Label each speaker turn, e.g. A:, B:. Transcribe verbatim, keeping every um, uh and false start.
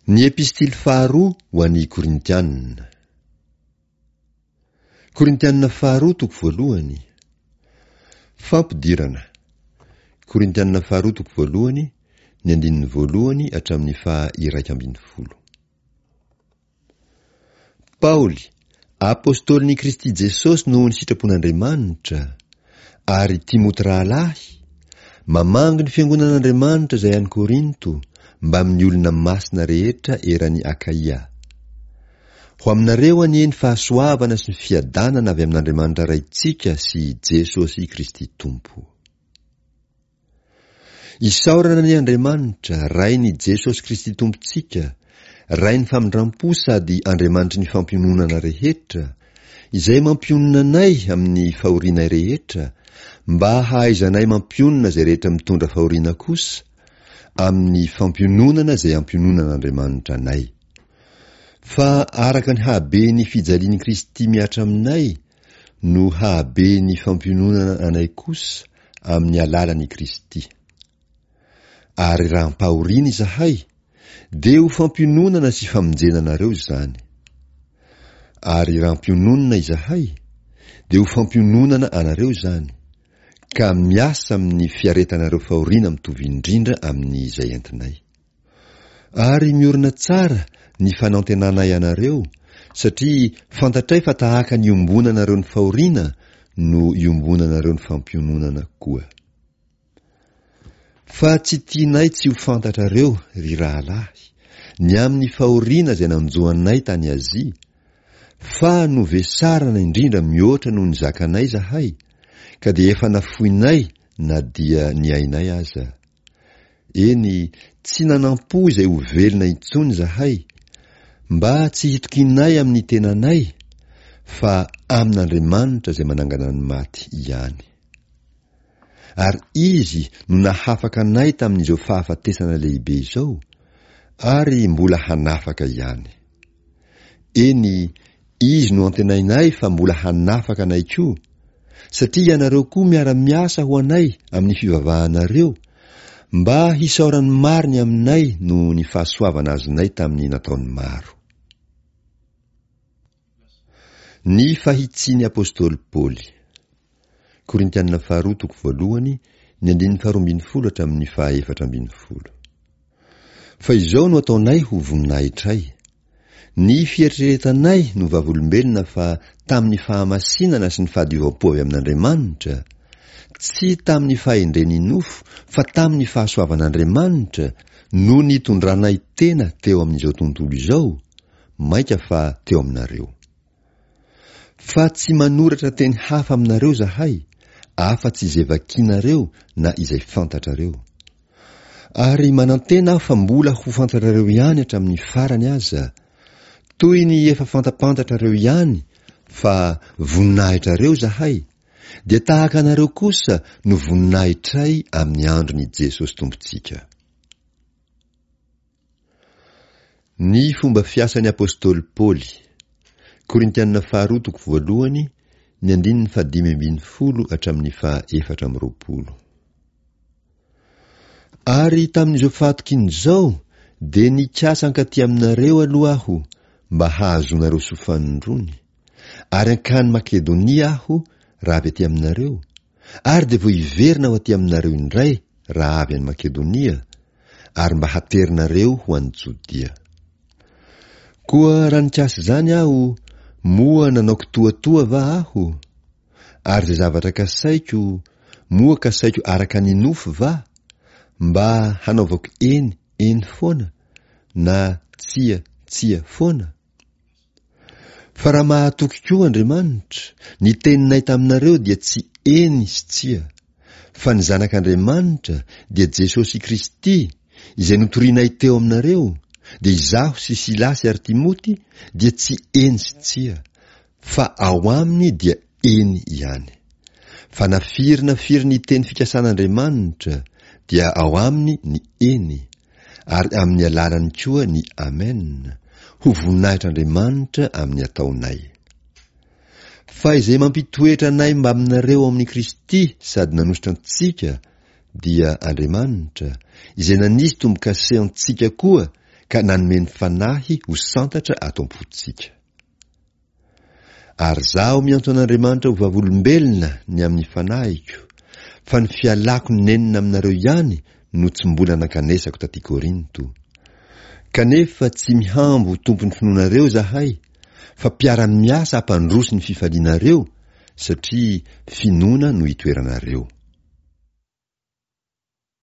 A: Ny Epistily faharoa ho an'ny Korintianina. Korintianina faharoa toko voalohany. Fampidirana. Korintianina faharoa toko voalohany, ny andininy voalohany hatramin'ny faha iraika ambin'ny folo. Paoly, apostolin'i Kristy Jesosy noho ny sitrapon'Andriamanitra, ary Timoty rahalahy, mamangy ny fiangonan'Andriamanitra izay any Korinto, mbamin'ny olona masina rehetra eran'i Akaia. Ho aminareo anie ny fahasoavana sy ny fiadanana avy amin'Andriamanitra Raintsika sy Jesosy Kristy Tompo. Isaorana anie Andriamanitra, Rain'i Jesosy Kristy Tompontsika, Rain'ny famindram-po sady Andriamanitry ny fampiononana rehetra, izay mampionona anay amin'ny fahorianay rehetra, mba hahaizanay mampionona izay rehetra mitondra fahoriana kosa, amin'ny fampiononana izay ampiononan'Andriamanitra anay. Fa araka ny hahaben'ny fijalian'i Kristy mihatra aminay no hahaben'ny fampiononana anay kosa amin'ny alalan'i Kristy. Ary raha ampahoriana izahay, dia ho fampiononana sy famonjena anareo izany. Ary raha ampiononina izahay, dia ho fampiononana anareo izany, ka miasa amin'ny fiaretanareo fahoriana mitovy indrindra amin'izay entinay. Ary miorina tsara ny fanantenanay anareo, satria fantatray fa tahaka ny iombonanareo ny fahoriana no iombonanareo ny fampiononana koa. Fa tsy tianay tsy ho fantatrareo, ry rahalahy, ny amin'ny fahoriana izay nanjo anay tany Azia, fa novesarana indrindra mihoatra noho ny zakanay izahay, ka dia efa nafoinay na dia ny ainay aza. Eny, tsy nanampo izay ho velona intsony izahay, mba tsy hitokianay amin'ny tenanay, fa amin'Andriamanitra izay manangana ny maty ihany. Ary Izy no nahafaka anay tamin'izao fahafatesana lehibe izao, ary mbola hanafaka ihany. Eny, Izy no antenainay fa mbola hanafaka anay koa, satria ianareo koa miara-miasa ho anay amin'ny fivavahanareo, mba hisaoran'ny maro ny aminay noho ny fahasoavana azonay tamin'ny nataony maro. Ny fahitsian'ny apostoly Paoly. Korintianina faharoa toko voalohany, ny andininy faharoa ambin'ny folo hatramin'ny fahaefatra ambin'ny folo. Fa izao no ataonay ho voninahitray. Ny fieritreretanay no vavolombelona fa tamin'ny fahamasinana sy ny fahadiovam-po avy amin'Andriamanitra, tsy tamin'ny fahendren'ny nofo fa tamin'ny fahasoavan'Andriamanitra no nitondranay tena teo amin'izao tontolo izao, mainka fa teo aminareo. Fa tsy manoratra teny hafa aminareo izahay, afa-tsy izay vakinareo na izay fantatrareo. Ary manantena aho fa mbola ho fantatrareo ihany hatramin'ny farany aza, toy ny efa fantapantatrareo ihany fa voninahitrareo izahay, dia tahaka anareo kosa no voninahitray amin'ny andron'i Jesosy Tompontsika. Ny fomba fiasan'ny apostoly Paoly. Korintianina faharoa toko voalohany, ny andininy fahadimy ambin'ny folo hatramin'ny faha efatra amby roapolo. Ary tamin'izao fahatokiana izao dia nikasa hankaty aminareo aloha aho mba hahazoanareo soa fanindroany, ary hankany Makedonia aho raha avy aty aminareo, ary dia vao hiverina ho aty aminareo indray raha avy any Makedonia, ary mba haterinareo ho any Jodia. Koa raha nikasa izany aho, moa nanao kitoatoa va aho? Ary izay zavatra kasaiko, moa kasaiko araka ny nofo va, mba hanaovako eny, eny foana, na tsia, tsia foana? Fa raha mahatoky koa Andriamanitra, ny teninay taminareo dia tsy eny sy tsia, fa ny Zanak'Andriamanitra dia Jesosy Kristy, izay notorinay teo aminareo, dia izaho sy Silasy ary Timoty dia tsy eny sy tsia, fa ao aminy dia eny ihany. Fa na firy na firy ny teny fikasan'Andriamanitra, dia ao aminy ny eny, ary amin'ny alalany koa ny amen, ho voninahitr'Andriamanitra amin'ny ataonay. Fa izay mampitoetra anay mbaminareo ao amin'i Kristy sady nanositra antsika dia Andriamanitra, izay nanisy tombo-kase antsika koa ka nanome ny Fanahy ho santatra ato am-pontsika. Ary izaho miantso an'Andriamanitra ho vavolombelona ny amin'ny fanahiko, fa ny fialako nenina aminareo ihany no tsy mbola nankanesako taty Korinto. Kanefa tsy mihambo ho tompon'ny finoanareo izahay, fa mpiara-miasa hampandroso ny fifalianareo, satria finoana no itoeranareo.